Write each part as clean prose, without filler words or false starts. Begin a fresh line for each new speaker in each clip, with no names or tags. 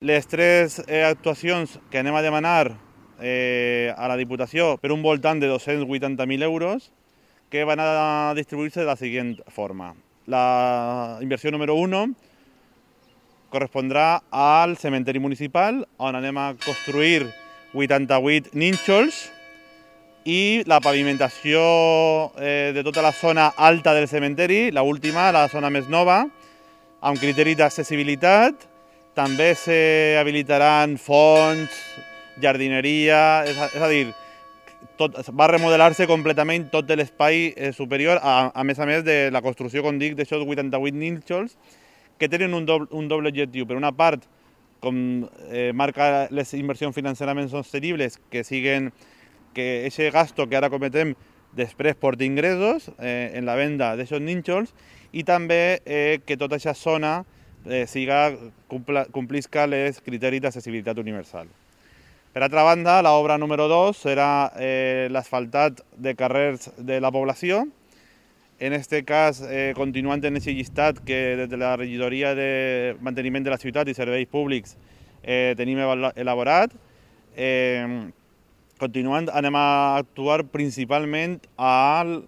Les tres actuacions que anem a demanar a la Diputació per un voltant de 280.000 euros que van a distribuir-se de la següent forma. La inversió número 1 correspondrà al cementeri municipal, on anem a construir 88 nínxols i la pavimentació de tota la zona alta del cementeri, la última, la zona més nova, amb criteri d'accessibilitat. També s'habilitaran fonts, jardineria, és a dir, va remodelar-se completament tot l'espai superior, a més de la construcció, com dic, d'aixòs 88 nínxols, que tenen un doble objectiu. Per una part, com marca les inversions financerament sostenibles, que siguen que aquest gasto que ara cometem després porti ingressos en la venda d'aquests nínxols i també que tota aquesta zona complisca els criteris d'accessibilitat universal. Per altra banda, l'obra número 2 serà l'asfaltat de carrers de la població. En aquest cas, continuant en aquest llistat que des de la regidoria de manteniment de la ciutat i serveis públics tenim elaborat. Continuant, anem a actuar principalment al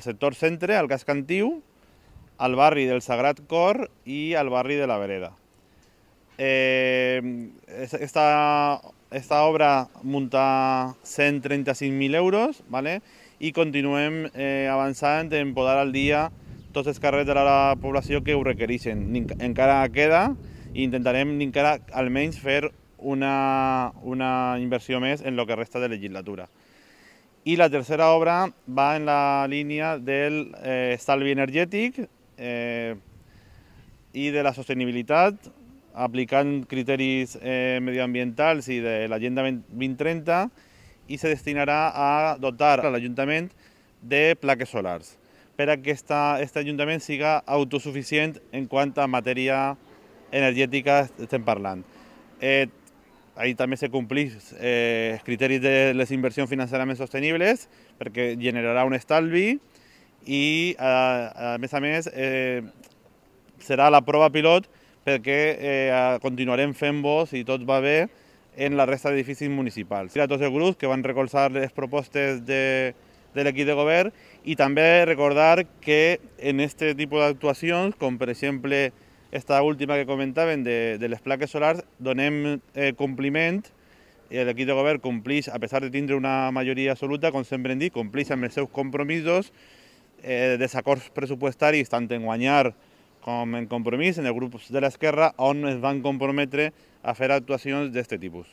sector centre, al casc antiu, al barri del Sagrat Cor i al barri de la Vereda. Esta obra munta 135.000 euros, ¿vale? I continuem avançant en posar al dia tots els carrers de la població que ho requereixen. Encara queda i intentarem encara almenys fer una inversió més en el que resta de legislatura. I la tercera obra va en la línia del estalvi energètic i de la sostenibilitat, aplicant criteris medioambientals i de l'Agenda 2030, i se destinarà a dotar l'Ajuntament de plaques solars, per a que aquest Ajuntament siga autosuficient en quant a matèria energètica estem parlant. Ahí també se compleix els criteris de les inversions financerament sostenibles, perquè generarà un estalvi i, a més, serà la prova pilot perquè continuarem fent-ho, si tot va bé, en la resta d'edificis municipals. A tots els grups que van recolzar les propostes de l'equip de govern i també recordar que en aquest tipus d'actuacions, com per exemple esta última que comentaven de les plaques solars, donem compliment, i l'equip de govern compleix, a pesar de tindre una majoria absoluta, com sempre hem dit, compleix amb els seus compromisos, desacords pressupostaris, tant en guanyar com en compromís, en els grups de l'esquerra, on es van comprometre a fer actuacions d'aquest tipus.